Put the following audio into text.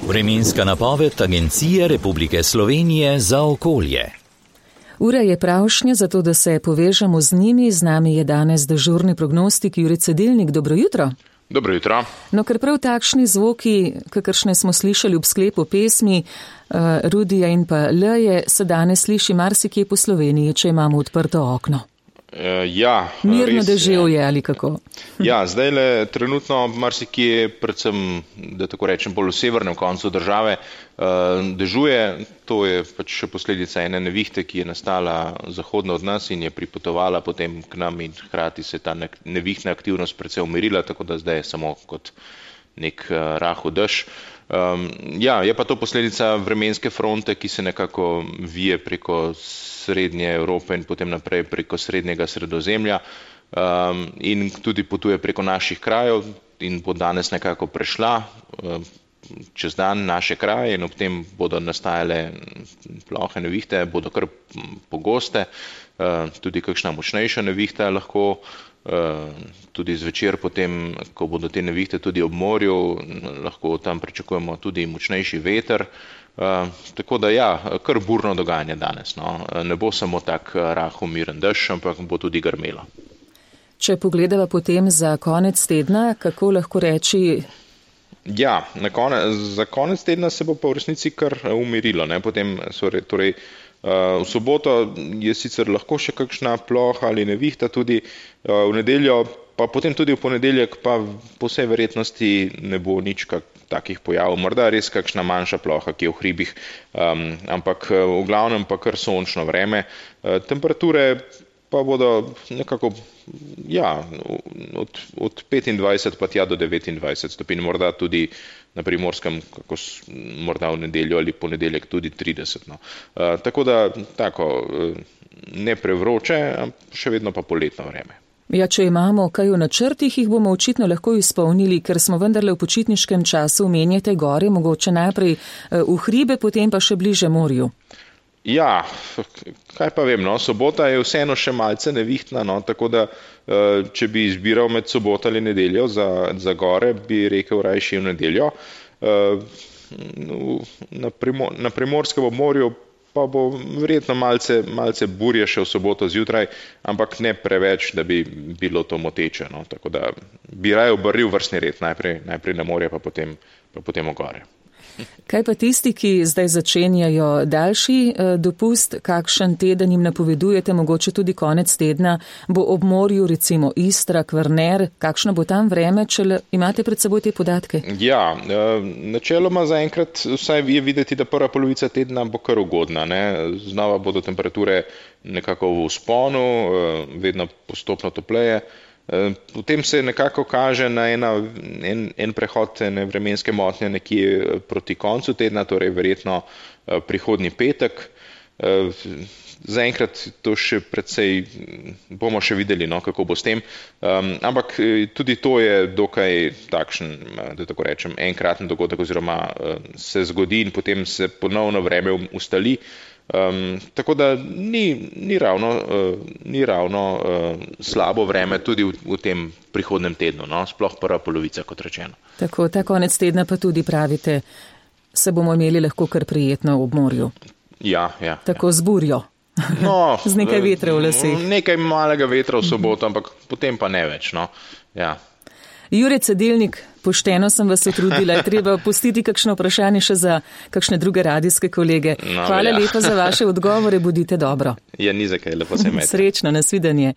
Vremenska napoved Agencije Republike Slovenije za okolje. Ura je pravšnja, zato da se povežemo z njimi. Z nami je danes dežurni prognostik Jure Cedilnik. Dobro jutro. Dobro jutro. No, ker prav takšni zvoki, kakršne smo slišali ob sklepu pesmi Rudija in pa Leje, se danes sliši marsikje po Sloveniji, če imamo odprto okno. Mirno deževje ali kako? Ja, zdajle trenutno marsikje, predvsem, da tako rečem, bolj v severnem koncu države, dežuje. To je pač še posledica ene nevihte, ki je nastala zahodno od nas in je pripotovala potem k nam in hkrati se ta nevihtna aktivnost precej umirila, tako da zdaj je samo kot nek rahel dež. Je pa to posledica vremenske fronte, ki se nekako vije preko srednje Evrope in potem naprej preko srednjega Sredozemlja in tudi potuje preko naših krajev in bo danes nekako prešla čez dan naše kraje in ob tem bodo nastajale plohe nevihte, bodo kar pogoste, tudi kakšna močnejša nevihta lahko. Tudi zvečer potem, ko bodo te nevihte tudi ob morju, lahko tam pričakujemo tudi močnejši veter. Tako da kar burno dogajanje danes. No. Ne bo samo tak rahel miren dež, ampak bo tudi grmelo. Če pogledava potem za konec tedna, kako lahko reči? Za konec tedna se bo pa v resnici kar umirilo. Ne. Potem, v soboto je sicer lahko še kakšna ploha ali nevihta, tudi v nedeljo, pa potem tudi v ponedeljek, pa po vsej verjetnosti ne bo nič takih pojavov. Morda res kakšna manjša ploha, ki je v hribih, ampak v glavnem pa kar sončno vreme. Temperature pa bodo nekako od 25 pa tja do 29 stopinj, morda tudi na Primorskem, morda v nedeljo ali ponedeljek tudi 30. No. Tako da ne prevroče, še vedno pa poletno vreme. Če imamo kaj v načrtih, jih bomo očitno lahko izpolnili, ker smo vendarle v počitniškem času, omenjate gore, mogoče najprej v hribe, potem pa še bliže morju. Kaj pa vem, sobota je vseeno še malce nevihtna, tako da če bi izbiral med soboto ali nedeljo za gore, bi rekel rajši v nedeljo. Na Primorskem obmorju pa bo verjetno malce burje še v soboto zjutraj, ampak ne preveč, da bi bilo to moteče. Tako da bi raje obrnil vrstni red, najprej na morje, pa potem v gore. Kaj pa tisti, ki zdaj začenjajo daljši dopust, kakšen teden jim napovedujete, mogoče tudi konec tedna, bo ob morju, recimo Istra, Kvarner, kakšno bo tam vreme, če imate pred seboj te podatke? Načeloma zaenkrat vsaj je videti, da prva polovica tedna bo kar ugodna. Znova bodo temperature nekako v vzponu, vedno postopno topleje. Potem se nekako kaže na en prehod ene vremenske motnje nekje proti koncu tedna, torej verjetno prihodnji petek. Zaenkrat to še precej bomo še videli, kako bo s tem. Ampak tudi to je dokaj takšen, da tako rečem, enkraten dogodek oziroma se zgodi in potem se ponovno vreme ustali. Tako da ni ravno slabo vreme tudi v tem prihodnem tednu, sploh prva polovica, kot rečeno. Tako, ta konec tedna pa tudi pravite, se bomo imeli lahko kar prijetno ob morju. Tako z burjo. Z nekaj vetra v laseh. Nekaj malega vetra v soboto, ampak potem pa ne več. Jure Cedilnik, pošteno sem vas utrudila, je treba pustiti kakšno vprašanje še za kakšne druge radijske kolege. Hvala lepa za vaše odgovore, bodite dobro. Ni za kaj, lepo se imejte. Srečno, nasvidenje.